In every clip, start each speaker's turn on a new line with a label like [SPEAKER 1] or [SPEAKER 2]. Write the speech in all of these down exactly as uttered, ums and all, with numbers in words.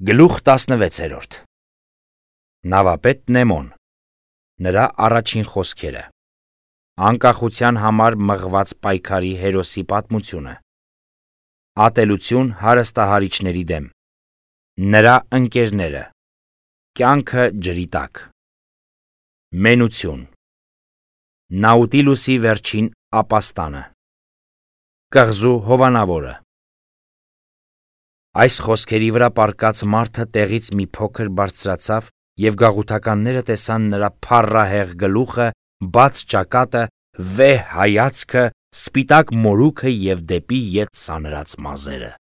[SPEAKER 1] Գլուխ տասնվեցերորդ Նավապետ Նեմոն Նրա առաջին խոսքերը Անկախության համար մղված պայքարի հերոսի պատմությունը Ատելություն հարստահարիչների դեմ Նրա ընկերները Կյանքը ջրի տակ Մենություն Նաուտիլուսի վերջին ապաստանը Կղզու հովանավորը Այս խոսքերի վրա պառկած մարդը տեղից մի փոքր բարձրացավ և գաղութականները տեսան նրա փառահեղ գլուխը, բաց ճակատը, վեհ հայացքը, սպիտակ մորուքը և դեպի ետ սանրած մազերը։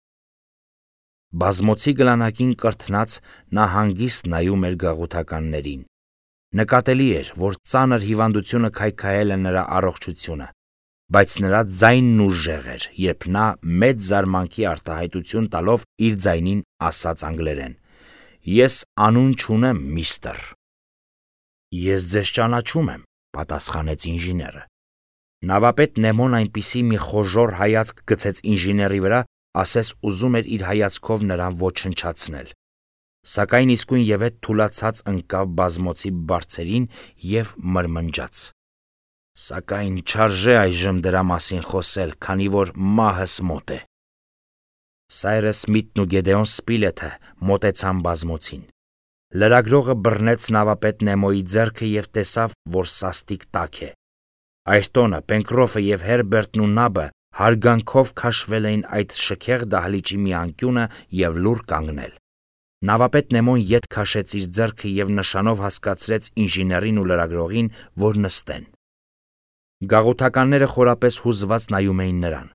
[SPEAKER 1] Բազմոցի գլանակին կրթնած նա հանգիստ նայում էր գաղութականներին։ Նկատելի էր, որ ծանր հիվանդությունը քայքայել է նրա առողջությունը, բայց նրա ձայնն ուժեղ էր, երբ նա մեծ զարմանքի արտահայտություն տալով իր ձայնին ասաց անգլերեն. «Ես անուն չունեմ, միստր»։ «Ես ձեզ ճանաչում եմ», պատասխանեց ինժեները։ Նավապետ Նեմոն այնպիսի մի խոժոռ հայացք գցեց ինժեների վրա, ասես ուզում էր իր հայացքով նրան ոչնչացնել։ Սակայն իսկույն ևեթ թուլացած ընկավ բազմոցի բարձերին և մրմնջաց. «Սակայն չարժե այժմ դրա մասին խոսել, քանի որ մահս մոտ է»։ Սայրս Սմիթն ու Գեդեոն Սպիլեթը մոտեցան բազմոցին։ Լրագրողը բռնեց նավապետ Նեմոյի ձեռքը և տեսավ, որ սաստիկ տաք է։ Այրտոնը, Պենկրոֆը և Հերբերտն ու Նաբը հարգանքով քաշվել էին այդ շքեղ դահլիճի մի անկյունը և լուռ կանգնել։ Նավապետ Նեմոն ետ քաշեց իր ձեռքը և նշանով հասկացրեց ինժեներին ու լրագրողին, որ նստեն։ Գաղութականները խորապես հուզված նայում էին նրան։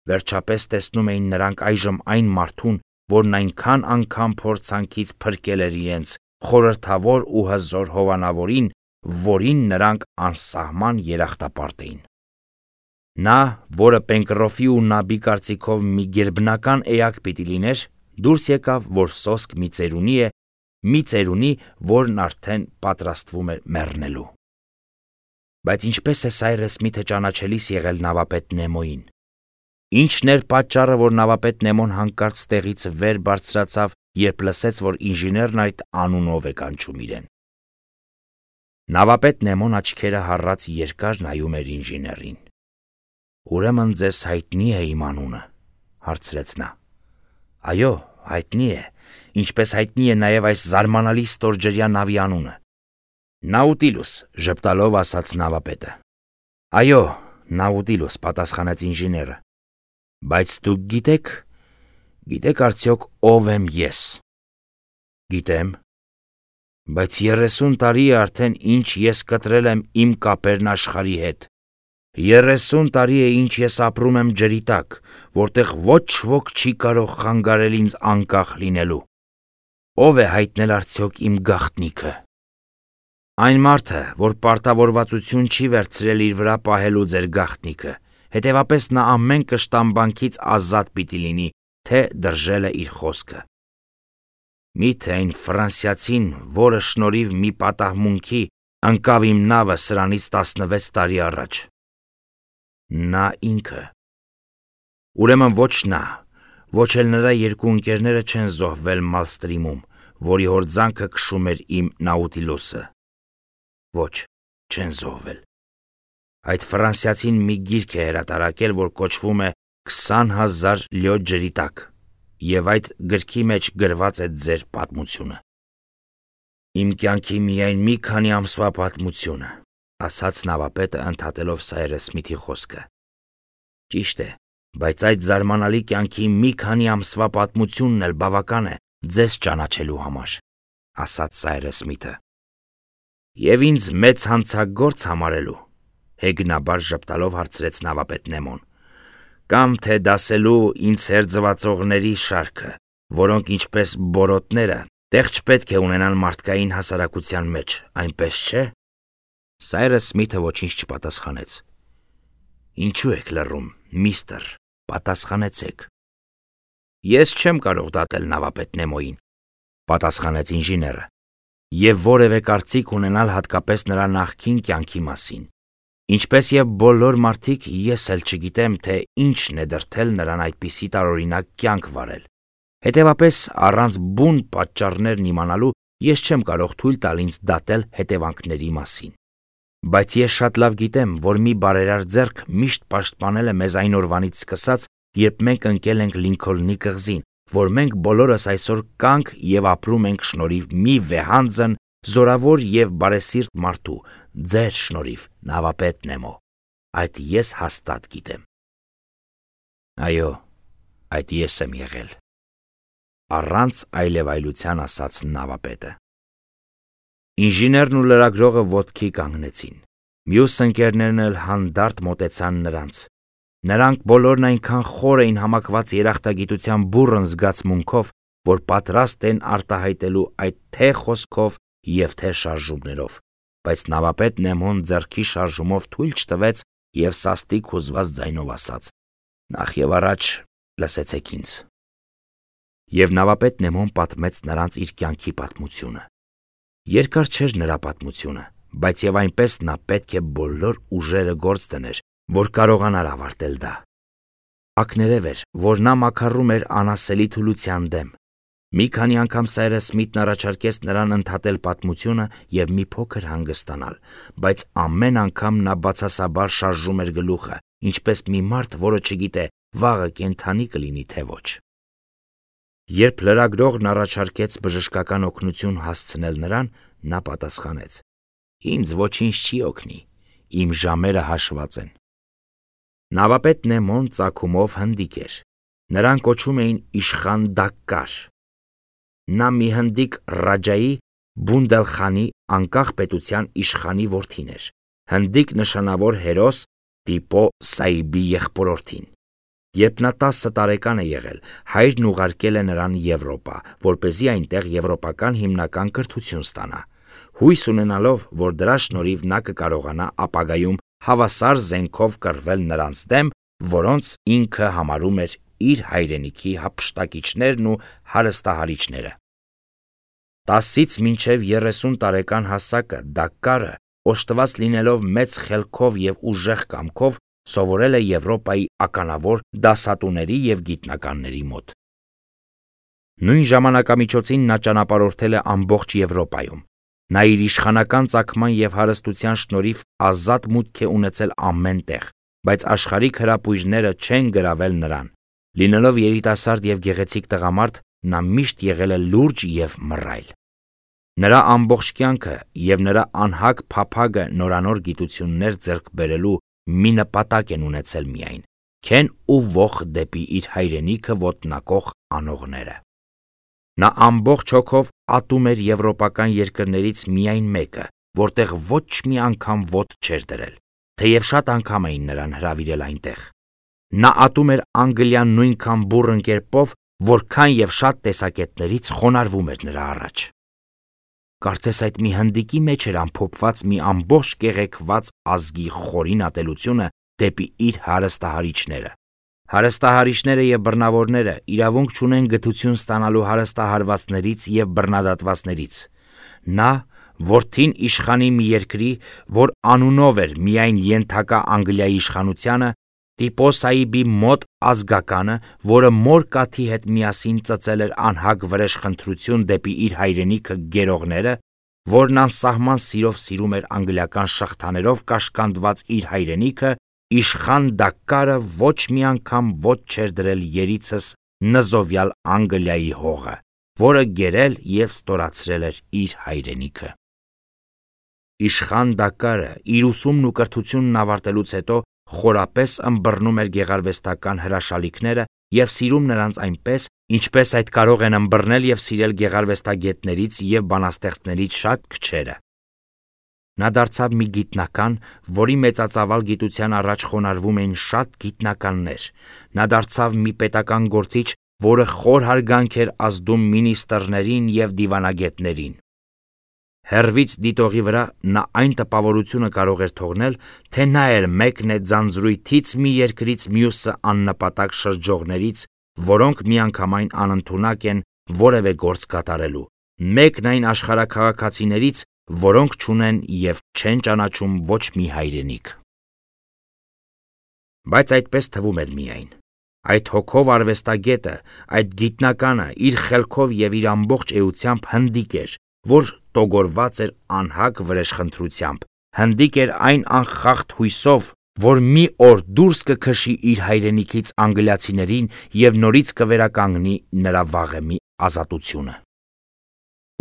[SPEAKER 1] Վերջապես տեսնում էին նրանք այժմ այն մարդուն, որն այնքան անգամ փորձանքից փրկել էր իրենց, խորհրդավոր ու հզոր հովանավորին, որին նրանք անսահման երախտապարտ էին։ Նա, որը Պենկրոֆի ու Նաբի կարծիքով մի գերբնական էակ պիտի լիներ, դուրս եկավ, որ սոսկ մի ծերունի է, մի ծերունի, որն արդեն պատրաստվում էր մեռնելու։ Բայց ինչպես է Սայրս Սմիթը ճանաչելիս եղել նավապետ Նեմոյին։ Ի՞նչն էր պատճառը, որ նավապետ Նեմոն հանկարծ տեղից վեր բարձրացավ, երբ լսեց, որ ինժեներն այդ անունով է կանչում իրեն։ Նավապետ Նեմոն աչքերը հառած երկար նայում էր ինժեներին։ «Ուրեմն ձեզ հայտնի է իմ անունը», հարցրեց նա։ «Այո, հայտնի է, ինչպես հայտնի է նաև այս զարմանալի ստորջրյա նավի անունը»։ «Նաուտիլուս», ժպտալով ասաց նավապետը։ «Այո, Նաուտիլուս», պատասխանեց ինժեները։ «Բայց դուք գիտեք, գիտեք արդյոք ով եմ ես»։ «Գիտեմ»։ «Բայց երեսուն տարի է արդեն ինչ ես կտրել եմ իմ կապերն աշխարհի հետ։ Երեսուն տարի է ինչ ես ապրում եմ ջրի տակ, որտեղ ոչ ոք չի կարող խանգարել ինձ անկախ լինելու։ Ո՞վ է հայտնել արդյոք իմ գաղտնիքը։ Այն մարդը, որ պարտավորվածություն չի վերցրել իր վրա պահելու ձեր գաղտնիքը, հետևապես նա ամեն կշտամբանքից ազատ պիտի լինի, թե դրժել է իր խոսքը։ Մի՞թե այն ֆրանսիացին, որը շնորհիվ մի պատահմունքի ընկավ իմ նավը սրանից տասնվեց տարի առաջ։ Նա ինքը։ Ուրեմն ոչ նա, ոչ էլ նրա երկու ընկերները չեն զոհվել Մալստրիմում, որի հորձանքը քշում էր իմ Նաուտիլուսը։ Ոչ, չեն զոհվել։ Այդ ֆրանսիացին մի գիրք է հրատարակել, որ կոչվում է «Քսան հազար լյո ջրի տակ», և այդ գրքի մեջ գրված է ձեր պատմությունը։ Իմ կյանքի միայն մի քանի ամսվա պատմությունը, ասաց նավապետը, ընդհատելով Սայրս Սմիթի խոսքը։ Ճիշտ է, բայց այդ զարմանալի կյանքի մի քանի ամսվա պատմությունն էլ բավական է ձեզ ճանաչելու համար, ասաց Սայրս Սմիթը։ Եվ ինձ մեծ հանցագործ համարելու, հեգնաբար ժպտալով հարցրեց նավապետ Նեմոն, կամ թե դասելու ինձ հերձվածողների շարքը, որոնք ինչպես բորոտները տեղ չպետք է ունենան մարդկային հասարակության մեջ, այնպես չէ։ Սայրս Սմիթը ոչինչ չպատասխանեց։ Ինչու եք լռում, միստր, պատասխանեցեք։ Ես չեմ կարող դատել նավապետ Նեմոյին, պատասխանեց ինժեները, և որևէ կարծիք ունենալ հատկապես նրա նախկին կյանքի մասին։ Ինչպես և բոլոր մարդիկ, ես էլ չգիտեմ, թե ինչն է դրդել նրան այդպիսի տարօրինակ կյանք վարել, Հետևապես, առանց բուն պատճառներն իմանալու ես չեմ կարող թույլ տալ ինձ դատել հետևանքների մասին։ Բայց ես շատ լավ գիտեմ, որ մի բարերար ձեռք միշտ պաշտպանել է մեզ այն օրվանից սկսած, երբ մենք ընկել ենք Լինքոլնի կղզին, որ մենք բոլորս այսօր կանք եւ ապրում ենք շնորհիվ մի վեհանձն, զորավոր եւ բարեսիրտ մարդու, ձեր շնորհիվ, նավապետ Նեմո։ Այդ ես հաստատ գիտեմ։ Այո, այդ ես եմ եղել։ Առանց այլևայլության ասաց նավապետը։ Ինժեներն ու լրագրողը ոտքի կանգնեցին։ Մյուս ընկերներն էլ հանդարտ մոտեցան նրանց։ Նրանք բոլորն այնքան խոր էին համակված երախտագիտության բուռն զգացմունքով, որ պատրաստ են արտահայտելու այդ թե խոսքով եւ թե շարժումներով, բայց նավապետ Նեմոն ձեռքի շարժումով թույլ չտվեց եւ սաստիկ հուզված ձայնով ասաց. «Նախ եւ առաջ լսեցեք ինձ»։ Եվ նավապետ Նեմոն պատմեց նրանց իր կյանքի պատմությունը։ Երկար չէր նրա պատմությունը, բայց եւ այնպես նա պետք է բոլոր ուժերը գործ դներ, որ կարողանար ավարտել դա։ Ակներև էր, որ նա մաքարում էր անասելի թուլության դեմ։ Մի քանի անգամ Սայրը Սմիթն առաջարկեց նրան ընդհատել պատմությունը եւ մի փոքր հանգստանալ, բայց ամեն անգամ նա բացասաբար շարժում էր գլուխը, ինչպես մի մարդ, որը չգիտե վաղը կենդանի կլինի թե ոչ։ Երբ լրագրողն առաջարկեց բժշկական օգնություն հասցնել նրան, նա պատասխանեց. «Ինձ ոչինչ չի օգնի, իմ ժամերը հաշված են»։ Նավապետ Նեմոն ծագումով հնդիկ էր։ Նրան կոչում էին Իշխան Դակկար։ Նա մի հնդիկ Ռաջայի Բունդելխանի անկախ պետության իշխանի որդին էր, հնդիկ նշանավոր հերոս Տիպո Սաիբի եղբորորդին։ Երբ նա տասը տարեկան է եղել, հայրն ուղարկել է նրան Եվրոպա, որպեսզի այնտեղ եվրոպական հիմնական կրթություն ստանա, հույս ունենալով, որ դրա շնորհիվ նա կկարողանա ապագայում հավասար զենքով կռվել նրանց դեմ, որոնց ինքը համարում էր իր հայրենիքի հափշտակիչներն ու հարստահարիչները։ Տասից մինչև երեսուն տարեկան հասակը Դակկարը, օժտված լինելով մեծ խելքով եւ ուժեղ կամքով, սովորել է Եվրոպայի ականավոր դասատուների եւ գիտնականների մոտ։ Նույն ժամանակամիջոցին նա ճանապարհորդել է ամբողջ Եվրոպայում։ Նա իր իշխանական ծագման եւ հարստության շնորհիվ ազատ մուտք է ունեցել ամեն տեղ, բայց աշխարհիկ հրապույրները չեն գրավել նրան։ Լինելով երիտասարդ եւ գեղեցիկ տղամարդ, նա միշտ եղել է լուրջ եւ մռայլ։ Նրա ամբողջ կյանքը եւ նրա անհագ փափագը նորանոր գիտություններ ձեռք բերելու մի նպատակ են ունեցել միայն՝ քեն ու ոխ դեպի իր հայրենիքը ոտնակող անողները։ Նա ամբողջ հոգով ատում էր եվրոպական երկրներից միայն մեկը, որտեղ ոչ մի անգամ ոտք չէր դրել, թեև շատ անգամ էին նրան հրավիրել այնտեղ։ Նա ատում էր Անգլիան նույնքան բուռն կերպով, որքան եւ շատ տեսակետներից խոնարհվում էր նրա առաջ։ Կարծես այդ մի հնդիկի մեջ էր ամփոփված մի ամբողջ կեղեքված ազգի խորին ատելությունը դեպի իր հարստահարիչները։ Հարստահարիչները եւ բռնավորները իրավունք չունեն գթություն ստանալու հարստահարվածներից եւ բռնադատվածներից։ Նա, որդին իշխանի մի երկրի, որ անունով էր միայն ենթակա Անգլիայի իշխանությանը, Տիպո Սաիբի մոտ ազգականը, որը մոր կաթի հետ միասին ծծել էր անհագ վրեժխնդրություն դեպի իր հայրենիքը գերողները, որն անսահման սիրով սիրում էր անգլիական շղթաներով կաշկանդված իր հայրենիքը, Իշխան Դակկարը ոչ մի անգամ ոտք չէր դրել երիցս նզովյալ Անգլիայի հողը, որը գերել եւ ստորացրել էր իր հայրենիքը։ Իշխան Դակկարը իր ուսումն ու կրթությունն ավարտելուց հետո խորապես ըմբռնում էր գեղարվեստական հրաշալիքները եւ սիրում նրանց այնպես, ինչպես այդ կարող են ըմբռնել եւ սիրել գեղարվեստագետներից եւ բանաստեղծներից շատ քչերը։ Նա դարձավ մի գիտնական, որի մեծածավալ գիտության առաջ խոնարհվում էին շատ գիտնականներ։ Նա դարձավ մի պետական գործիչ, որը խոր հարգանք էր ազդում մինիստրներին եւ դիվանագետներին։ Հեռվից դիտողի վրա նա այն տպավորությունը կարող էր թողնել, թե նա էր մեկն է ձանձրույթից մի երկրից մյուսը աննպատակ շրջողներից, որոնք միանգամայն անընդունակ են որևէ գործ կատարելու, մեկն այն աշխարհաքաղաքացիներից, որոնք չունեն եւ չեն ճանաչում ոչ մի հայրենիք։ Բայց այդպես թվում էր միայն։ Այդ հոգով արվեստագետը, այդ գիտնականը իր խելքով եւ իր ամբողջ էությամբ հնդիկ էր, որ տոգորված էր անհակ վրեժխնդրությամբ, հնդիկ էր այն անխախտ հույսով, որ մի օր դուրս կքշի իր հայրենիքից անգլիացիներին եւ նորից կվերականգնի նրա վաղեմի ազատությունը։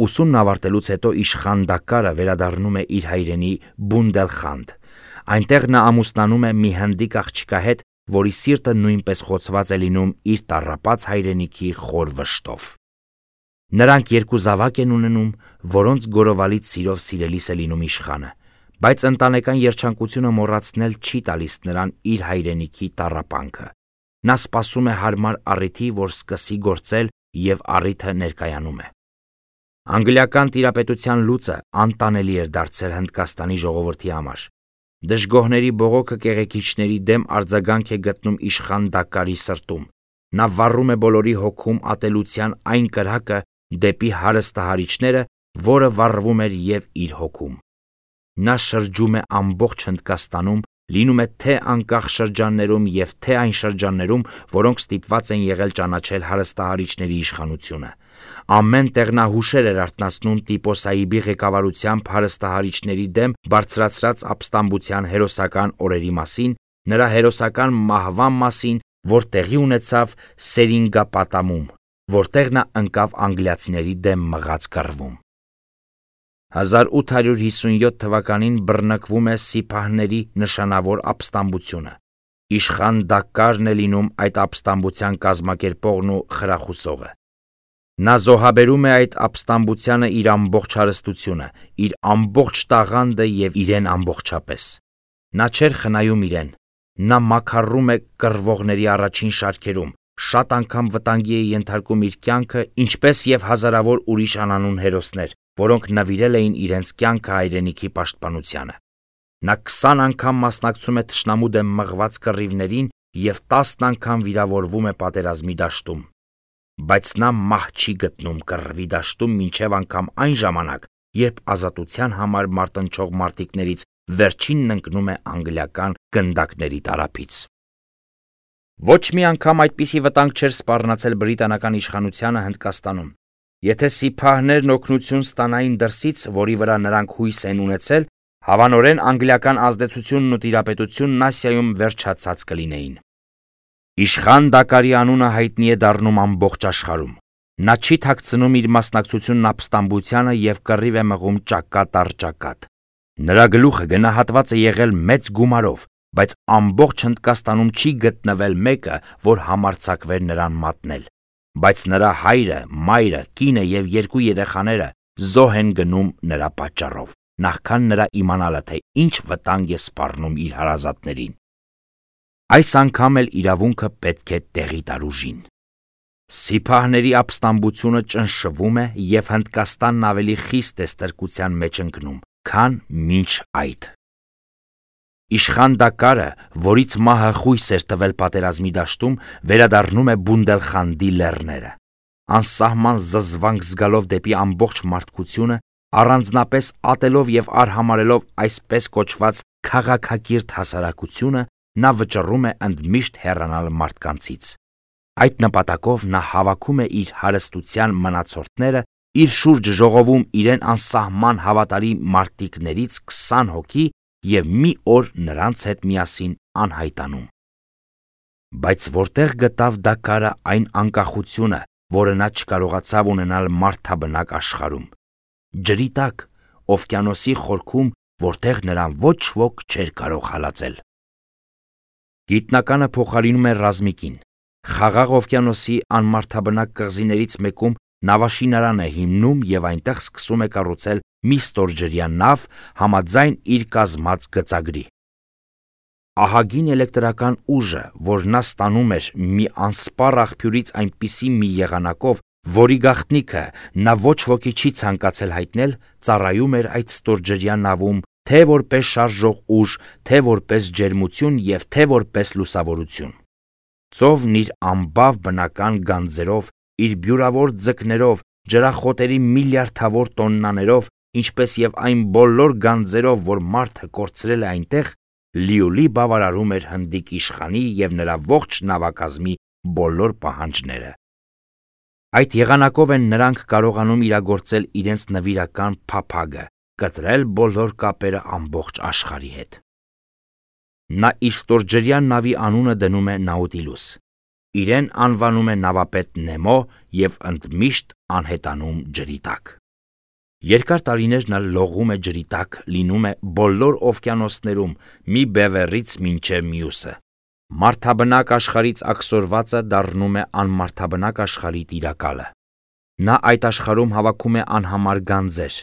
[SPEAKER 1] Ուսումն ավարտելուց հետո իշխան Դակարը վերադառնում է իր հայրենի Բունդելխանդ։ Այնտեղ նա ամուսնանում է մի հնդիկ աղջկա հետ, որի սիրտը նույնպես խոցված է լինում իր տառապած հայրենիքի խոր վշտով։ Նրանք երկու զավակ են ունենում, որոնց գորովալից սիրով սիրելիս է լինում իշխանը, բայց ընտանեկան երջանկությունը մոռացնել չի տալիս նրան իր հայրենիքի տառապանքը։ Նա սպասում է հարմար առիթի, որ սկսի գործել, եւ առիթը ներկայանում է։ Անգլիական տիրապետության լուծը անտանելի էր դարձել Հնդկաստանի ժողովրդի համար։ Դժգոհների բողոքը կեղեքիչների դեմ արձագանք է գտնում իշխան Դակարի սրտում։ Նա վառում է բոլորի հոգում ատելության այն կրակը դեպի հարստահարիչները, որը վառվում էր եւ իր հոգում։ Նա շրջում է ամբողջ Հնդկաստանում, լինում է թե անկախ շրջաններում եւ թե այն շրջաններում, որոնք ստիպված են եղել ճանաչել հարստահարիչների իշխանությունը։ Ամեն տեղ նա հուշեր էր արթնացնում Տիպո Սահիբի ղեկավարությամբ հարստահարիչների դեմ բարձրացրած ապստամբության հերոսական օրերի մասին, նրա հերոսական մահվան մասին, որ տեղի ունեցավ Սերինգապատամում, որտեղ նա ընկավ անգլիացիների դեմ մղած կռվում։ հազար ութ հարյուր հիսունյոթ թվականին բռնկվում է սիփահների նշանավոր ապստամբությունը։ Իշխան Դակարն է լինում այդ ապստամբության կազմակերպողն ու խրախուսողը։ Նա զոհաբերում է այդ ապստամբությանը իր ամբողջ հարստությունը, իր ամբողջ տաղանդը եւ իրեն ամբողջապես։ Նա չէր խնայում իրեն, նա մաքարում է կռվողների առաջին շարքերում, շատ անգամ վտանգի է ենթարկում իր կյանքը, ինչպես եւ հազարավոր ուրիշ անանուն հերոսներ, որոնք նվիրել էին իրենց կյանքը հայրենիքի պաշտպանությանը։ Նա քսան անգամ մասնակցում է թշնամու դեմ մղված կռիվներին եւ տասն անգամ վիրավորվում է պատերազմի դաշտում։ Բայց նա մահ չի գտնում կռվի դաշտում մինչև անգամ այն ժամանակ, երբ ազատության համար մարտնչող մարտիկներից վերջինն ընկնում է անգլիական գնդակների տարափից։ Ոչ մի անգամ այդպիսի վտանգ չէր սպառնացել բրիտանական իշխանությանը Հնդկաստանում։ Եթե սիփահներն օգնություն ստանային դրսից, որի վրա նրանք հույս են ունեցել, հավանորեն անգլիական ազդեցությունն ու տիրապետությունն Ասիայում վերջացած կլինեին։ Իշխան Դակարի անունը հայտնի է դառնում ամբողջ աշխարհում։ Նա չի թաքցնում իր մասնակցությունն ապստամբությանը եւ կռիվ է մղում ճակատ առ ճակատ։ Նրա գլուխը գնահատված է եղել մեծ գումարով, բայց ամբողջ Հնդկաստանում չի գտնվել մեկը, որ համարձակվեր նրան մատնել։ Բայց նրա հայրը, մայրը, կինը եւ երկու երեխաները զոհ են գնում նրա պատճառով, նախքան նրա իմանալը, թե ինչ վտանգ է սպառնում իր հարազատներին։ Այս անգամ էլ իրավունքը պետք է տեղի տար ուժին։ Սիփահների ապստամբությունը ճնշվում է եւ Հնդկաստանն ավելի խիստ է ստրկության մեջ ընկնում, քան մինչ այդ։ Իշխան Դակարը, որից մահը խույս էր տվել պատերազմի դաշտում, վերադառնում է Բունդելխանդի լեռները։ Անսահման զզվանք զգալով դեպի ամբողջ մարդկությունը, առանձնապես ատելով եւ արհամարելով այսպես կոչված քաղաքակիրթ հասարակությունը, նա վճռում է ընդմիշտ հեռանալ մարդկանցից։ Այդ նպատակով նա հավաքում է իր հարստության մնացորդները, իր շուրջ ժողովում իրեն անսահման հավատարի մարտիկներից քսան հոգի եւ մի օր նրանց հետ միասին անհայտանում։ Բայց որտեղ գտավ Դակարը այն անկախությունը, որը նա չկարողացավ ունենալ մարդաբնակ աշխարհում։ Ջրի տակ, օվկիանոսի խորքում, որտեղ նրան ոչ ոք չէր կարող հալածել։ Գիտնականը փոխարինում է ռազմիկին։ Խաղաղ օվկիանոսի անմարդաբնակ կղզիներից մեկում նավաշինարան է հիմնում եւ այնտեղ սկսում է կառուցել մի ստորջրյա նավ համաձայն իր կազմած գծագրի։ Ահագին էլեկտրական ուժը, որ նա ստանում էր մի անսպառ աղբյուրից այնպիսի մի եղանակով, որի գաղտնիքը նա ոչ ոքի չի ցանկացել հայտնել, ծառայում էր այդ ստորջրյա նավում թե որպես շարժող ուժ, թե որպես ջերմություն եւ թե որպես լուսավորություն։ Ծովն իր ամբավ բնական գանձերով, իր բյուրավոր ձկներով, ջրախոտերի միլիարդավոր տոննաներով, ինչպես եւ այն բոլոր գանձերով, որ մարդը կորցրել է այնտեղ, լիոլի բավարարում էր հնդիկ իշխանի եւ նրա ողջ նավակազմի բոլոր պահանջները։ Այդ եղանակով են նրանք կարողանում իրագործել իրենց նվիրական փափագը, կտրել բոլոր կապերը ամբողջ աշխարհի հետ։ Նա իր ստորջրյա նավի անունը դնում է Նաուտիլուս, իրեն անվանում է նավապետ Նեմո և ընդմիշտ անհետանում ջրի տակ։ Երկար տարիներ նա լողում է ջրի տակ, լինում է բոլոր օվկիանոսներում, մի բևեռից մինչև մյուսը։ Մարդաբնակ աշխարհից աքսորվածը դառնում է անմարդաբնակ աշխարհի տիրակալը։ Նա այդ աշխարհում հավաքում է անհամար գանձեր,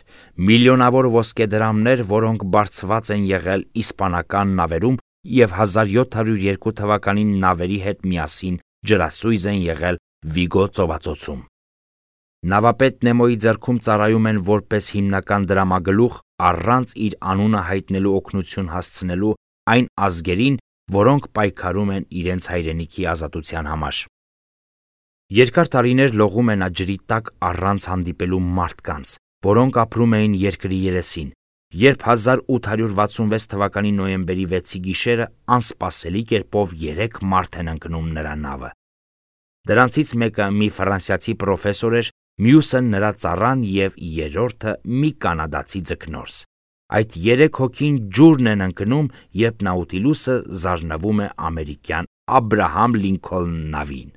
[SPEAKER 1] միլիոնավոր ոսկեդրամներ, որոնք բարձված են եղել իսպանական նավերում և հազար յոթ հարյուր երկու թվականին նավերի հետ միասին ջրասույզ են եղել Վիգո ծովածոցում։ Նավապետ Նեմոյի ձեռքում ծառայում են որպես հիմնական դրամագլուխ առանց իր անունը հայտնելու օգնություն հասցնելու այն ազգերին, որոնք պայքարում են իրենց հայրենիքի ազատության համար։ Երկար տարիներ լողում է նա ջրի տակ առանց հանդիպելու մարդկանց, որոնք ապրում էին երկրի երեսին, երբ հազար ութ հարյուր վաթսունվեց թվականի նոյեմբերի վեցի գիշերը անսպասելի կերպով երեք մարդ են ընկնում նրա նավը։ Դրանցից մեկը մի ֆրանսիացի պրոֆեսոր էր, մյուսը նրա ծառան և երրորդը մի կանադացի ձկնորս։ Այդ երեք հոգին ջուրն են ընկնում, երբ Նաուտիլուսը զարնվում է ամերիկյան Աբրահամ Լինքոլն նավին։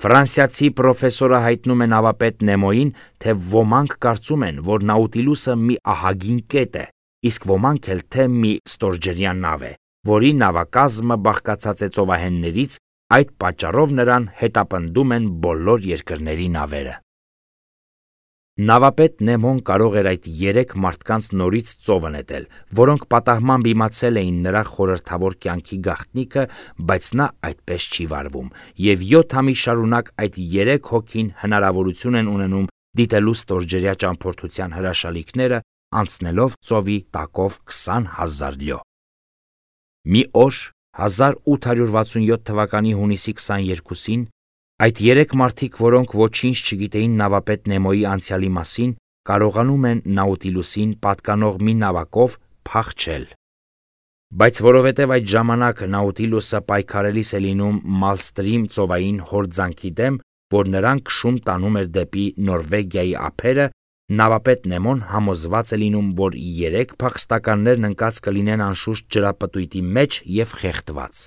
[SPEAKER 1] Ֆրանսիացի պրոֆեսորը հայտնում է նավապետ Նեմոյին, թե ոմանք կարծում են, որ Նաուտիլուսը մի ահագին կետ է, իսկ ոմանք էլ թե մի ստորջրյա նավ է, որի նավակազմը բաղկացած է ծովահեններից, այդ պատճառով նրան հետապնդում են բոլոր երկրների նավերը։ Նավապետ Նեմոն կարող էր այդ երեք մարդկանց նորից ծովը նետել, որոնք պատահմամբ իմացել էին նրա խորհրդավոր կյանքի գաղտնիքը, բայց նա այդպես չի վարվում, և յոթ ամիս շարունակ այդ երեք հոգին հնարավորություն են ունենում դիտելու ստորջրյա ճամփորդության հրաշալիքները, անցնելով ծովի տակով քսան հազար լյո։ Մի օր հազար ութ հարյուր վաթսունյոթ թվականի հունիսի քսաներկուսին այդ երեք մարդիկ, որոնք ոչինչ չգիտեին նավապետ Նեմոյի անցյալի մասին, կարողանում են Նաուտիլուսին պատկանող մի նավակով փախչել։ Բայց որովհետև այդ ժամանակ Նաուտիլուսը պայքարելիս է լինում Մալստրիմ ծովային հորձանքի դեմ, որ նրան քշում տանում էր դեպի Նորվեգիայի ափերը, նավապետ Նեմոն համոզված է լինում, որ երեք փախստականներն ընկած կլինեն անշուշտ ջրապտույտի մեջ և խեղդված։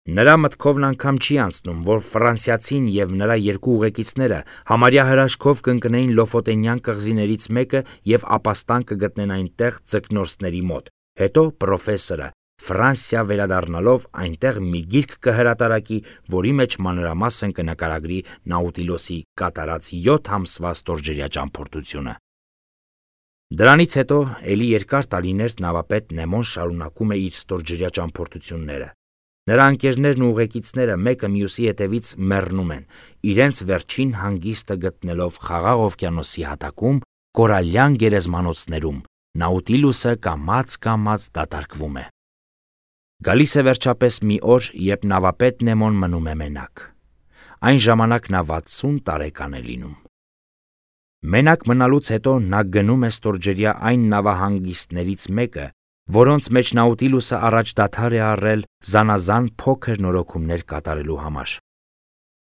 [SPEAKER 1] Նրա մտքովն անգամ չի անցնում, որ ֆրանսիացին և նրա երկու ուղեկիցները համարյա հրաշքով կընկնեին Լոֆոտենյան կղզիներից մեկը և ապաստան կգտնեն այնտեղ ձկնորսների մոտ, հետո պրոֆեսորը Ֆրանսիա վերադառնալով այնտեղ մի գիրք կհրատարակի, որի մեջ մանրամասն կնկարագրի Նաուտիլուսի կատարած յոթ ամսվա ստորջրյա ճամփորդությունը։ Դրանից հետո էլի երկար տարիներ նավապետ Նեմոն շարունակում է իր ստորջրյա ճամփորդությունները։ Նրա ընկերներն ու ուղեկիցները մեկը մյուսի հետևից մեռնում են, իրենց վերջին հանգիստը գտնելով Խաղաղ օվկիանոսի հատակում, կորալյան գերեզմանոցներում, Նաուտիլուսը կամաց-կամաց դատարկվում է։ Գալիս է վերջապես մի օր, երբ նավապետ Նեմոն մնում է մենակ։ Այն ժամանակ նա վաթսուն տարեկան է լինում։ Մենակ մնալուց հետո նա գնում է ստորջրյա այն նավահանգիստներից մեկը, որոնց մեջ Նաուտիլուսը առաջ դադար է առել զանազան փոքր նորոգումներ կատարելու համար։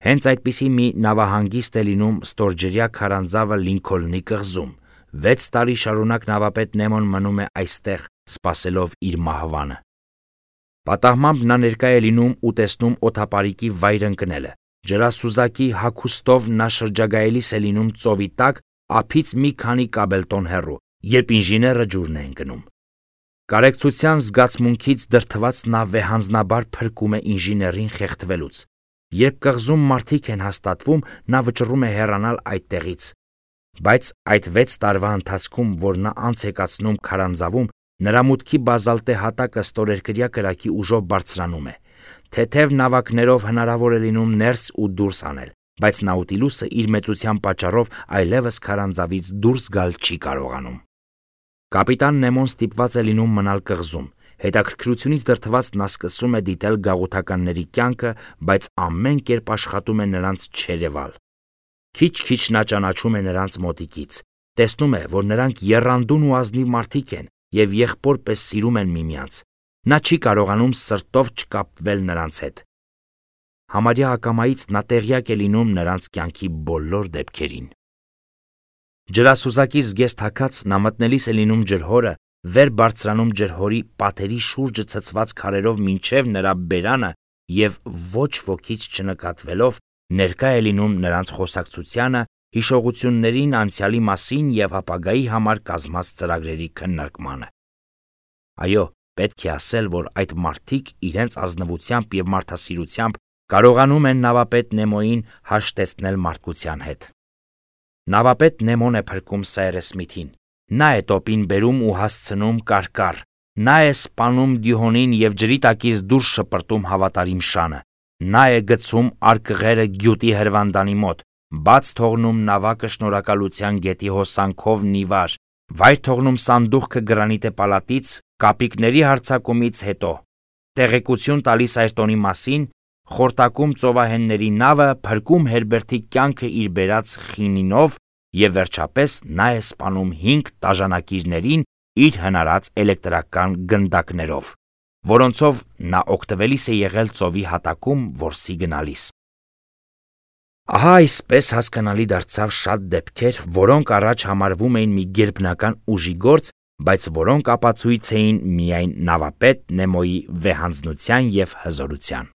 [SPEAKER 1] Հենց այդպիսի մի նավահանգիստ է լինում ստորջրյա քարանձավը Լինքոլնի կղզում։ Վեց տարի շարունակ նավապետ Նեմոն մնում է այստեղ, սպասելով իր մահվանը։ Պատահմամբ նա ներկա է լինում ու տեսնում օդապարիկի վայր ընկնելը։ Ջրասուզակի հագուստով նա շրջագայելիս է լինում ծովի տակ, ափից մի քանի կաբելտոն հեռու, երբ ինժեները ջուրն է ընկնում։ Կարեկցության զգացմունքից դրդված նա վեհանձնաբար փրկում է ինժեներին խեղդվելուց։ Երբ կղզում մարդիկ են հաստատվում, նա վճռում է հեռանալ այդտեղից։ Բայց այդ վեց տարվա ընթացքում, որ նա անց է կացնում քարանձավում, նրա մուտքի բազալտե հատակը ստորերկրյա կրակի ուժով բարձրանում է։ Թեթև նավակներով հնարավոր է լինում ներս ու դուրս անել, բայց Նաուտիլուսը իր մեծության պատճառով այլևս քարանձավից դուրս գալ չի կարողանում։ Կապիտան Նեմոն ստիպված է լինում մնալ կղզում։ Հետաքրքրությունից դրդված նա սկսում է դիտել գաղութականների կյանքը, բայց ամեն կերպ աշխատում է նրանց չերևալ։ Քիչ-քիչ նա ճանաչում է նրանց մոտիկից, տեսնում է, որ նրանք եռանդուն ու ազնիվ մարդիկ են և եղբոր պես սիրում են միմյանց։ Նա չի կարողանում սրտով չկապվել նրանց հետ։ համարյա ակամայից նա տեղյակ է լինում նրանց կյանքի բոլոր դեպքերին։ Ջրասուզակի զգեստ հագած նա մտնելիս է լինում ջրհորը, վեր բարձրանում ջրհորի պատերի շուրջը ցցված քարերով մինչև նրա բերանը և ոչ ոքից չնկատվելով ներկա է լինում նրանց խոսակցությանը, հիշողություններին անցյալի մասին և ապագայի համար կազմած ծրագրերի քննարկմանը։ Այո, պետք է ասել, որ այդ մարդիկ իրենց ազնվությամբ և մարդասիրությամբ կարողանում են նավապետ Նեմոյին հաշտեցնել մարդկության հետ։ Նավապետ Նեմոն է փրկում Սայրես Սմիթին, նա է տոպին բերում ու հասցնում կարկառ, նա է սպանում Դյուհոնին և ջրի տակից դուրս շպրտում հավատարիմ շանը, նա է գցում արկղերը գյուտի հրվանդանի մոտ, բաց թողնում նավակը շնորհակալության գետի հոսանքով նիվար, վայր թողնում սանդուղքը գրանիտե պալատից կապիկների հարձակումից հետո, տեղեկություն տալիս Այրտոնի մասին, խորտակում ծովահենների նավը, փրկում Հերբերտի կյանքը իր բերած խինինով և վերջապես նա է սպանում հինգ տաժանակիրներին իր հնարած էլեկտրական գնդակներով, որոնցով նա օգտվելիս է եղել ծովի հատակում որսի գնալիս։ Ահա այսպես հասկանալի դարձավ շատ դեպքեր, որոնք առաջ համարվում էին մի գերբնական ուժի գործ, բայց որոնք ապացույց էին միայն նավապետ Նեմոյի վեհանձնության և հզորության։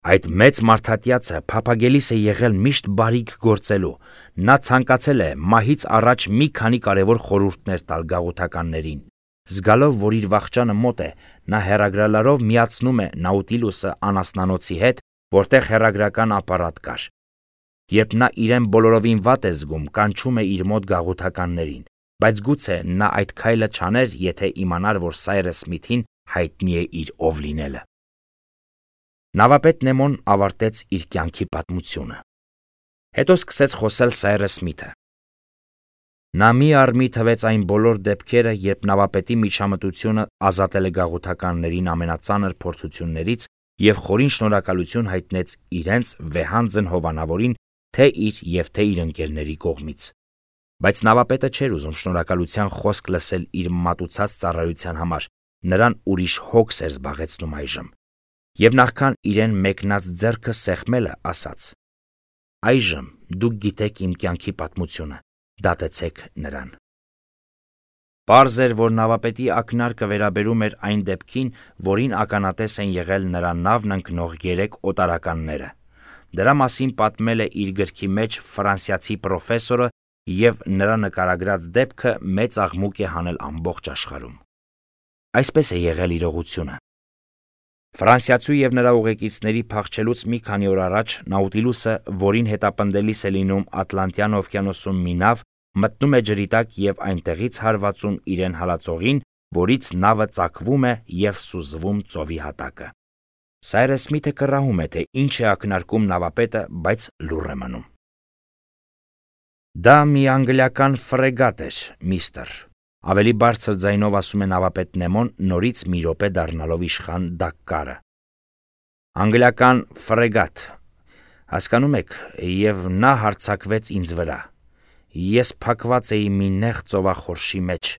[SPEAKER 1] Այդ մեծ մարդատյացը փափագելիս է եղել միշտ բարիք գործելու, նա ցանկացել է մահից առաջ մի քանի կարևոր խորհուրդներ տալ գաղութականներին։ Զգալով, որ իր վախճանը մոտ է, նա հեռագրալարով միացնում է Նաուտիլուսը անասնանոցի հետ, որտեղ հեռագրական ապարատ կար։ Երբ նա իրեն բոլորովին վատ է զգում, կանչում է իր մոտ գաղութականներին, բայց գուցե նա այդ քայլը չաներ, եթե իմանար, որ Սայրես Սմիթին հայտնի է իր ով լինելը։ Նավապետ Նեմոն ավարտեց իր կյանքի պատմությունը։ Հետո սկսեց խոսել Սայրես Սմիթը։ Նա մի առ մի թվեց այն բոլոր դեպքերը, երբ նավապետի միջամտությունը ազատել է գաղութականներին ամենածանր փորձություններից և խորին շնորհակալություն հայտնեց իրենց վեհանձն հովանավորին թե իր և թե իր ընկերների կողմից։ Բայց նավապետը չէր ուզում շնորհակալության խոսք լսել իր մատուցած ծառայության համար, նրան ուրիշ հոգս էր զբաղեցնում այժմ, և նախքան իրեն մեկնած ձեռքը սեղմելը, ասաց. «Այժմ դուք գիտեք իմ կյանքի պատմությունը, դատեցեք նրան»։ Պարզ էր, որ նավապետի ակնարկը վերաբերում էր այն դեպքին, որին ականատես են եղել նրա նավն ընկնող երեք օտարականները։ Դրա մասին պատմել է իր գրքի մեջ ֆրանսիացի պրոֆեսորը, և նրա նկարագրած դեպքը մեծ աղմուկ է հանել ամբողջ աշխարհում։ Այսպես է եղել իրողությունը։ Ֆրանսիացու և նրա ուղեկիցների փախչելուց մի քանի օր առաջ Նաուտիլուսը, որին հետապնդելիս է լինում Ատլանտյան օվկիանոսում մի նավ, մտնում է ջրի տակ և այնտեղից հարվածում իրեն հալածողին, որից նավը ծակվում է և սուզվում ծովի հատակը։ Սայրես Սմիթը կռահում է, թե ինչ է ակնարկում նավապետը, բայց լուռ է մնում։ Դա մի անգլիական ֆրեգատ էր, միստր, ավելի բարձր ձայնով ասում է նավապետ Նեմոն, նորից մի րոպե դառնալով իշխան Դակկարը։ Անգլիական ֆրեգատ, հասկանում եք, և նա հարձակվեց ինձ վրա։ Ես փակված էի մի նեղ ծովախորշի մեջ,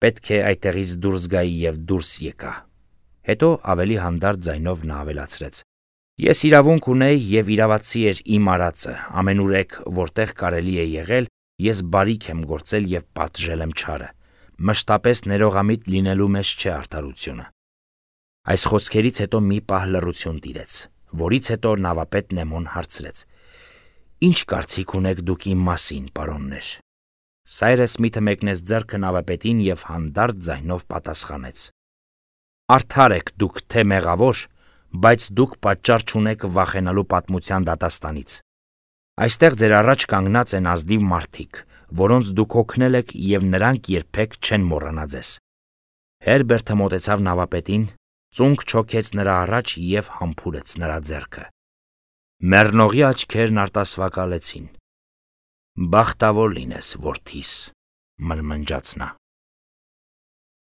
[SPEAKER 1] պետք է այդտեղից դուրս գայի և դուրս եկա։ Հետո ավելի հանդարտ ձայնով նա ավելացրեց. Ես իրավունք ունեի և իրավացի էր իմ արածը, ամենուրեք, որտեղ կարելի է եղել, ես բարիք եմ գործել և պատժել եմ չարը, մշտապես ներողամիտ լինելու մեջ չէ արդարությունը։ Այս խոսքերից հետո մի պահ լռություն տիրեց, որից հետո նավապետ Նեմոն հարցրեց. Ինչ կարծիք ունեք դուք իմ մասին, պարոններ։ Սայրես Սմիթը մեկնեց ձեռքը նավապետին և հանդարտ ձայնով պատասխանեց. Արդար եք դուք թե մեղավոր, բայց դուք պատճառ չունեք վախենալու պատմության դատաստանից։ Այստեղ ձեր առաջ կանգնած են ազնիվ մարդիկ, որոնց դուք օգնել եք և նրանք երբեք չեն մոռանա ձեզ։ Հերբերտը մոտեցավ նավապետին, ծունկ չոքեց նրա առաջ և համբուրեց նրա ձեռքը։ Մեռնողի աչքերն արտասվակալեցին։ Բախտավոր լինես, որդիս, մրմնջաց նա։